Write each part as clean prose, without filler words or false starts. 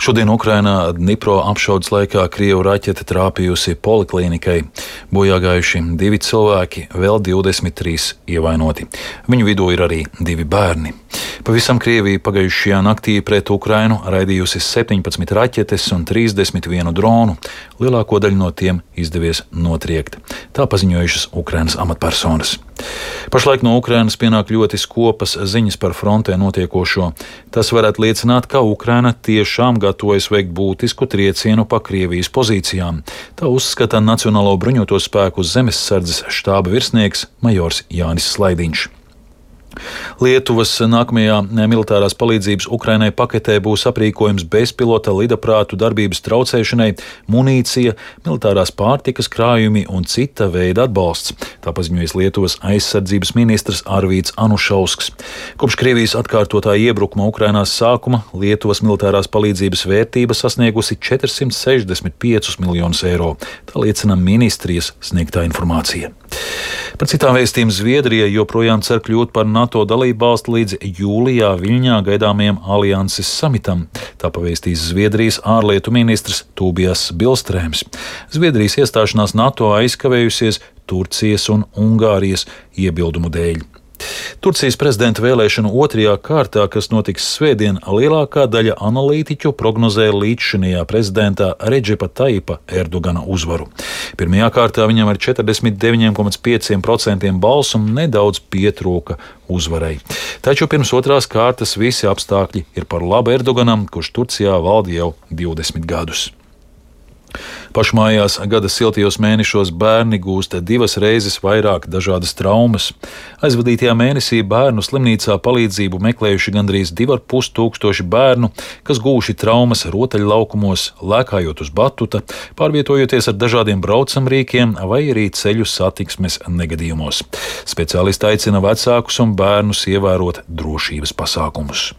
Šodien Ukrainā Dnipro apšaudes laikā Krievu raķete trāpījusi poliklīnikai. Bojā gājuši 2 cilvēki, vēl 23 ievainoti. Viņu vidū ir arī 2 bērni. Pavisam Krievija pagājušajā naktī pret Ukrainu raidījusi 17 raķetes un 31 dronu. Lielāko daļu no tiem izdevies notriekt. Tā paziņojušas Ukrainas amatpersonas. Pašlaik no Ukrainas pienāk ļoti skopas ziņas par frontē notiekošo. Tas varētu liecināt, ka Ukraina tiešām gatavojas veikt būtisku triecienu pa Krievijas pozīcijām. Tā uzskata Nacionālo bruņoto spēku zemesardzes štāba virsnieks majors Jānis Slaidiņš. Lietuvas nākamajā militārās palīdzības Ukrainai paketē būs aprīkojums bezpilota lidaprātu darbības traucēšanai, munīcija, militārās pārtikas krājumi un cita veida atbalsts. Tā paziņojas Lietuvas aizsardzības ministrs Arvīds Anušausks. Kopš Krievijas atkārtotā iebrukuma Ukrainās sākuma Lietuvas militārās palīdzības vērtība sasniegusi 465 miljonus eiro. Tā liecina ministrijas sniegtā informācija. Par citām vēstījumiem Zviedrija joprojām cer kļūt par NATO dalībvalsti līdz jūlijā Viļņā gaidāmajam alianses samitam. Tā pavēstīs Zviedrijas ārlietu ministrs Tūbijas Bilstrēms. Zviedrijas iestāšanās NATO aizkavējusies Turcijas un Ungārijas iebildumu dēļ. Turcijas prezidenta vēlēšanu otrajā kārtā, kas notiks svētdien, lielākā daļa analītiķu prognozē līdzšinējā prezidenta Redžepa Taipa Erdogana uzvaru. Pirmajā kārtā viņam ar 49,5% balsu nedaudz pietrūka uzvarai. Taču pirms otrās kārtas visi apstākļi ir par labu Erdoganam, kurš Turcijā valda jau 20 gadus. Pašmājās gada siltajos mēnešos bērni gūst 2 reizes vairāk dažādas traumas. Aizvadītajā mēnesī bērnu slimnīcā palīdzību meklējuši gandrīz 2500 bērnu, kas gūši traumas rotaļlaukumos, lēkājot uz batuta, pārvietojoties ar dažādiem braucamrīkiem vai arī ceļu satiksmes negadījumos. Speciālisti aicina vecākus un bērnus ievērot drošības pasākumus.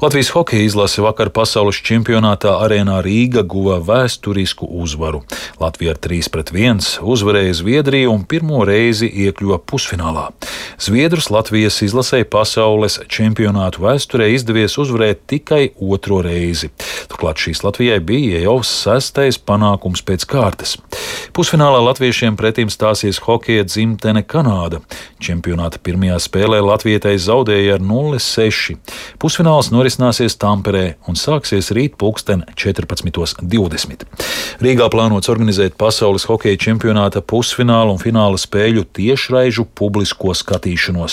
Latvijas hokeja izlase vakar pasaules čempionātā Arēnā Rīga guva vēsturisku uzvaru. Latvija ar 3-1 uzvarēja Zviedriju un pirmo reizi iekļuva pusfinālā. Zviedrus Latvijas izlasei pasaules čempionātu vēsturē izdevies uzvarēt tikai 2. reizi. Turklāt šīs Latvijai bija jau 6. panākums pēc kārtas. Pusfinālā latviešiem pretim stāsies hokeja dzimtene Kanāda. Čempionāta pirmajā spēlē latvietai zaudēja ar 0-6. Pusfināls norisināsies Tamperē un sāksies rīt 14:20. Rīgā plānots organizēt pasaules hokeja čempionāta pusfināla un fināla spēļu tiešraižu publisko skatīšanos.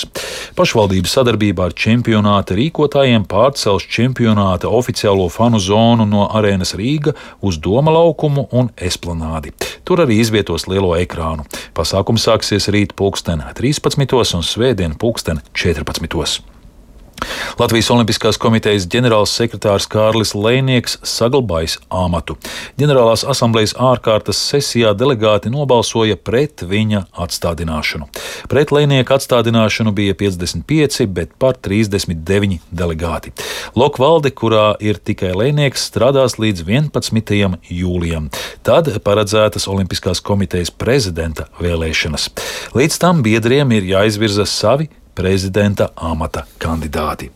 Pašvaldības sadarbībā ar čempionāta rīkotājiem pārcels čempionāta oficiālo fanu zonu no Arēnas Rīga uz Doma laukumu un Esplanādi. Tur arī izvietos lielo ekrānu. Pasākums sāksies rīt 13:00 un svētdien 14:00. Latvijas Olimpiskās komitejas ģenerāls sekretārs Kārlis Lejnieks saglabājis amatu. Ģenerālās asamblejas ārkārtas sesijā delegāti nobalsoja pret viņa atstādināšanu. Pret Lejnieka atstādināšanu bija 55, bet par 39 delegāti. Lokvalde, kurā ir tikai Lejnieks, strādās līdz 11. jūlijam. Tad paredzētas Olimpiskās komitejas prezidenta vēlēšanas. Līdz tam biedriem ir jāizvirza savi prezidenta amata kandidāti.